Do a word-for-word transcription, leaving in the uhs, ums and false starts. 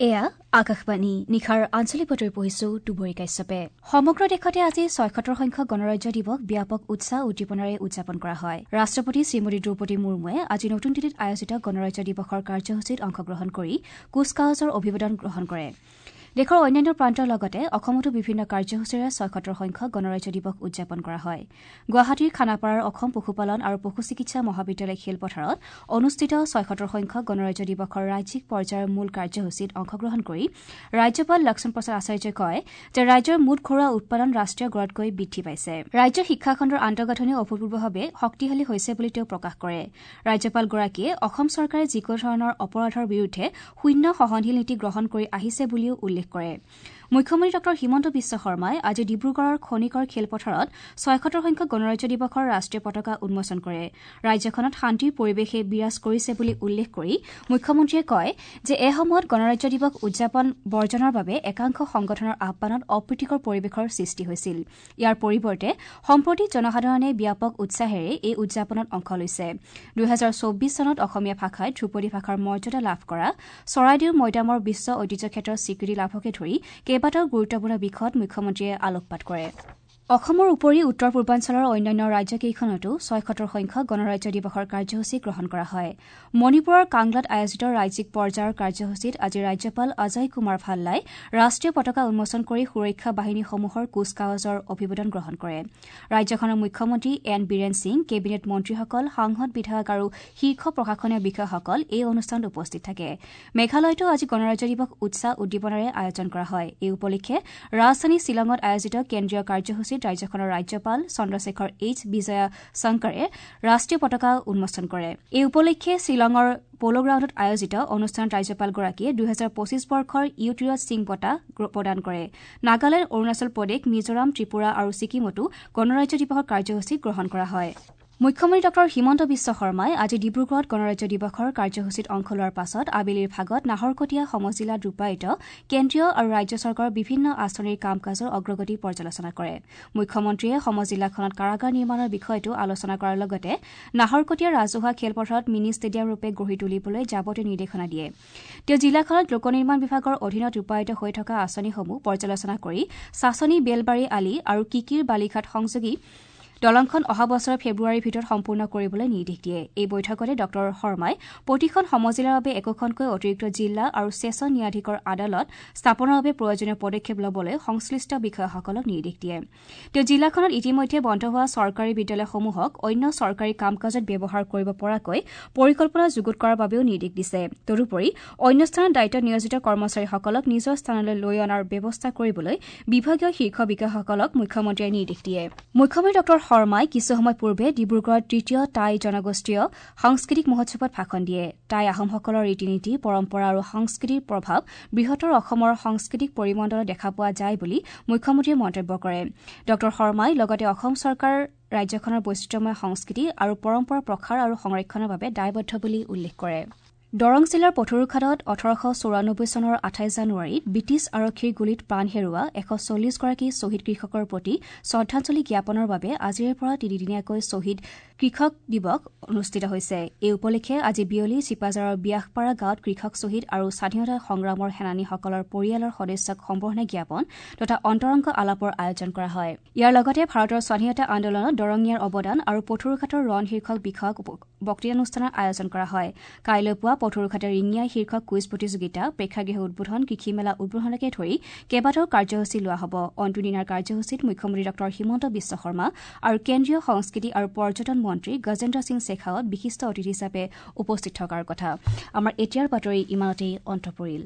এয়া আকাশবাণী নিশাৰ আঞ্চলিক বাতৰি পঢ়িছো দুবৰী কাশ্যপে। সমগ্ৰ দেশতে আজি ছয়সত্তৰ সংখ্যক গণৰাজ্য দিৱস ব্যাপক উৎসাহ উদ্দীপনাৰে উদযাপন কৰা হয়। ৰাষ্ট্ৰপতি শ্ৰীমতী দ্ৰৌপদী মুৰ্মুৱে আজি নতুন দিল্লীত আয়োজিত গণৰাজ্য দিৱসৰ কাৰ্যসূচীত অংশগ্ৰহণ কৰি কুচকাৱাজৰ অভিবাদন গ্ৰহণ কৰে। দেশৰ অন্যান্য প্ৰান্তৰ লগতে অসমতো বিভিন্ন কাৰ্যসূচীৰে ছয়সত্তৰ সংখ্যক গণৰাজ্য দিৱস উদযাপন কৰা হয়। গুৱাহাটীৰ খানাপাৰাৰ অসম পশুপালন আৰু পশু চিকিৎসা মহাবিদ্যালয় খেলপথাৰত অনুষ্ঠিত ছয়সত্তৰ সংখ্যক গণৰাজ্য দিৱসৰ ৰাজ্যিক পৰ্যায়ৰ মূল কাৰ্যসূচীত অংশগ্ৰহণ কৰি ৰাজ্যপাল লক্ষ্মণ প্ৰসাদ আচাৰ্যই কয় যে ৰাজ্যৰ মুঠ ঘৰুৱা উৎপাদন ৰাষ্ট্ৰীয় গড়তকৈ বৃদ্ধি পাইছে। ৰাজ্যৰ শিক্ষাখণ্ডৰ আন্তঃগাঁথনি অভূতপূৰ্বভাৱে শক্তিশালী হৈছে বুলি তেওঁ প্ৰকাশ কৰে। ৰাজ্যপালগৰাকীয়ে অসম চৰকাৰে যিকোনো ধৰণৰ অপৰাধৰ বিৰুদ্ধে শূন্য সহনশীল নীতি গ্ৰহণ কৰি আহিছে বুলিও উল্লেখ কৰে। মুখ্যমন্ত্ৰী ডঃ হিমন্ত বিশ্ব শৰ্মাই আজি ডিব্ৰুগড়ৰ খনিকৰ খেলপথাৰত ছয়সত্তৰ সংখ্যক গণৰাজ্য দিৱসৰ ৰাষ্ট্ৰীয় পতাকা উন্মোচন কৰে। ৰাজ্যখনত শান্তিৰ পৰিৱেশে বিৰাজ কৰিছে বুলি উল্লেখ কৰি মুখ্যমন্ত্ৰীয়ে কয় যে এসময়ত গণৰাজ্য দিৱস উদযাপন বৰ্জনৰ বাবে একাংশ সংগঠনৰ আহ্বানত অপ্ৰীতিকৰ পৰিৱেশৰ সৃষ্টি হৈছিল। ইয়াৰ পৰিৱৰ্তে সম্প্ৰতি জনসাধাৰণে ব্যাপক উৎসাহেৰে এই উদযাপনত অংশ লৈছে। দুহেজাৰ চৌব্বিছ চনত অসমীয়া ভাষাই ধ্ৰুপদী ভাষাৰ মৰ্যাদা লাভ কৰা, চৰাইদেউ মৈদামৰ বিশ্ব ঐতিহ্য ক্ষেত্ৰৰ স্বীকৃতি লাভকে ধৰি কেইবাটাও গুৰুত্বপূৰ্ণ বিষয়ত মুখ্যমন্ত্ৰীয়ে আলোকপাত কৰে। অসমৰ উপৰি উত্তৰ পূৰ্বাঞ্চলৰ অন্যান্য ৰাজ্যকেইখনতো ছয়সত্তৰ সংখ্যক গণৰাজ্য দিৱসৰ কাৰ্যসূচী গ্ৰহণ কৰা হয়। মণিপুৰৰ কাংলাত আয়োজিত ৰাজ্যিক পৰ্যায়ৰ কাৰ্যসূচীত আজি ৰাজ্যপাল অজয় কুমাৰ ভাল্লাই ৰাষ্ট্ৰীয় পতাকা উন্মোচন কৰি সুৰক্ষা বাহিনীসমূহৰ কুচকাৱাজৰ অভিবাদন গ্ৰহণ কৰে। ৰাজ্যখনৰ মুখ্যমন্ত্ৰী এন বীৰেন সিং, কেবিনেট মন্ত্ৰীসকল, সাংসদ, বিধায়ক আৰু শীৰ্ষ প্ৰশাসনীয় বিষয়াসকল এই অনুষ্ঠানত উপস্থিত থাকে। মেঘালয়তো আজি গণৰাজ্য দিৱস উৎসাহ উদ্দীপনাৰে আয়োজন কৰা হয়। এই উপলক্ষে ৰাজধানী শ্বিলঙত আয়োজিত কেন্দ্ৰীয় কাৰ্যসূচীত ৰাজ্যখনৰ ৰাজ্যপাল চন্দ্ৰশেখৰ এইচ বিজয়া শংকৰে ৰাষ্ট্ৰীয় পতাকা উন্মোচন কৰে। এই উপলক্ষে শ্বিলঙৰ প'ল' গ্ৰাউণ্ডত আয়োজিত অনুষ্ঠানত ৰাজ্যপালগৰাকীয়ে দুহেজাৰ পঁচিছ বৰ্ষৰ ইউটিৰত সিং বঁটা প্ৰদান কৰে। নাগালেণ্ড, অৰুণাচল প্ৰদেশ, মিজোৰাম, ত্ৰিপুৰা আৰু ছিকিমতো গণৰাজ্য দিৱসৰ কাৰ্যসূচী গ্ৰহণ কৰা হয়। মুখ্যমন্ত্ৰী ডঃ হিমন্ত বিশ্ব শৰ্মাই আজি ডিব্ৰুগড়ত গণৰাজ্য দিৱসৰ কাৰ্যসূচীত অংশ লোৱাৰ পাছত আবেলিৰ ভাগত নাহৰকটীয়া সমজিলাত ৰূপায়িত কেন্দ্ৰীয় আৰু ৰাজ্য চৰকাৰৰ বিভিন্ন আঁচনিৰ কাম কাজৰ অগ্ৰগতি পৰ্যালোচনা কৰে। মুখ্যমন্ত্ৰীয়ে সমজিলাখনত কাৰাগাৰ নিৰ্মাণৰ বিষয়টো আলোচনা কৰাৰ লগতে নাহৰকটীয়া ৰাজহুৱা খেলপথাৰত মিনি ষ্টেডিয়াম ৰূপে গঢ়ি তুলিবলৈ যাৱতীয় নিৰ্দেশনা দিয়ে। তেওঁ জিলাখনত লোক নিৰ্মাণ বিভাগৰ অধীনত ৰূপায়িত হৈ থকা আঁচনিসমূহ পৰ্যালোচনা কৰি চাচনী বেলবাৰী আলি আৰু কিকিৰ বালিঘাট সংযোগী দলংখন অহা বছৰৰ ফেব্ৰুৱাৰীৰ ভিতৰত সম্পূৰ্ণ কৰিবলৈ নিৰ্দেশ দিয়ে। এই বৈঠকতে ডঃ শৰ্মাই প্ৰতিখন সমজিলাৰ বাবে একোখনকৈ অতিৰিক্ত জিলা আৰু ছেছন ন্যায়াধীশৰ আদালত স্থাপনৰ বাবে প্ৰয়োজনীয় পদক্ষেপ ল'বলৈ সংশ্লিষ্ট বিষয়াসকলক নিৰ্দেশ দিয়ে। তেওঁ জিলাখনত ইতিমধ্যে বন্ধ হোৱা চৰকাৰী বিদ্যালয়সমূহক অন্য চৰকাৰী কাম কাজত ব্যৱহাৰ কৰিব পৰাকৈ পৰিকল্পনা যুগুত কৰাৰ বাবেও নিৰ্দেশ দিছে। তদুপৰি অন্য স্থানত দায়িত্বত নিয়োজিত কৰ্মচাৰীসকলক নিজৰ স্থানলৈ লৈ অনাৰ ব্যৱস্থা কৰিবলৈ বিভাগীয় শীৰ্ষ বিষয়াসকলক মুখ্যমন্ত্ৰীয়ে নিৰ্দেশ দিয়ে। মুখ্যমন্ত্ৰী ডঃ শৰ্মাই কিছু সময় পূৰ্বে ডিব্ৰুগড়ত তৃতীয় টাই জনগোষ্ঠীয় সাংস্কৃতিক মহোৎসৱত ভাষণ দিয়ে। টাই আহোমসকলৰ ৰীতি নীতি, পৰম্পৰা আৰু সংস্কৃতিৰ প্ৰভাৱ বৃহত্তৰ অসমৰ সাংস্কৃতিক পৰিমণ্ডলত দেখা পোৱা যায় বুলি মুখ্যমন্ত্ৰীয়ে মন্তব্য কৰে। ডঃ শৰ্মাই লগতে অসম চৰকাৰ ৰাজ্যখনৰ বৈচিত্ৰ্যময় সংস্কৃতি আৰু পৰম্পৰা প্ৰসাৰ আৰু সংৰক্ষণৰ বাবে দায়বদ্ধ বুলি উল্লেখ কৰে। দৰং জিলাৰ পথৰুঘাটত ওঠৰশ চৌৰানব্বৈ চনৰ আঠাইছ জানুৱাৰীত ব্ৰিটিছ আৰক্ষীৰ গুলীত প্ৰাণ হেৰুওৱা এশ চল্লিছগৰাকী শ্বহীদ কৃষকৰ প্ৰতি শ্ৰদ্ধাঞ্জলি জ্ঞাপনৰ বাবে আজিৰে পৰা তিনিদিনীয়াকৈ শ্বহীদ কৃষক দিৱস অনুষ্ঠিত হৈছে। এই উপলক্ষে আজি বিয়লি চিপাঝাৰৰ ব্যাসপাৰা গাঁৱত কৃষক শ্বহীদ আৰু স্বাধীনতা সংগ্ৰামৰ সেনানীসকলৰ পৰিয়ালৰ সদস্যক সম্বৰ্ধনা জ্ঞাপন তথা অন্তৰংগ আলাপৰ আয়োজন কৰা হয়। ইয়াৰ লগতে ভাৰতৰ স্বাধীনতা আন্দোলনত দৰঙীয়াৰ অৱদান আৰু পথৰুঘাটৰ ৰণ শীৰ্ষক বিষয়ক বক্তৃতানুষ্ঠানৰ আয়োজন কৰা হয়। কাইলৈ পুৱা পথৰুঘাটৰ ৰিঙিয়া শীৰ্ষক কুইজ প্ৰতিযোগিতা, প্ৰেক্ষাগৃহ উদ্বোধন, কৃষি মেলা উদ্বোধনকে ধৰি কেইবাটাও কাৰ্যসূচী লোৱা হ'ব। অন্তিম দিনাৰ কাৰ্যসূচীত মুখ্যমন্ত্ৰী ডঃ হিমন্ত বিশ্ব শৰ্মা আৰু কেন্দ্ৰীয় সংস্কৃতি আৰু পৰ্যটন মন্ত্ৰী গজেন্দ্ৰ সিং শেখাৱত বিশিষ্ট অতিথি হিচাপে উপস্থিত থকাৰ কথা। আমাৰ এতিয়াৰ বাতৰি ইমানতেই অন্ত পৰিল।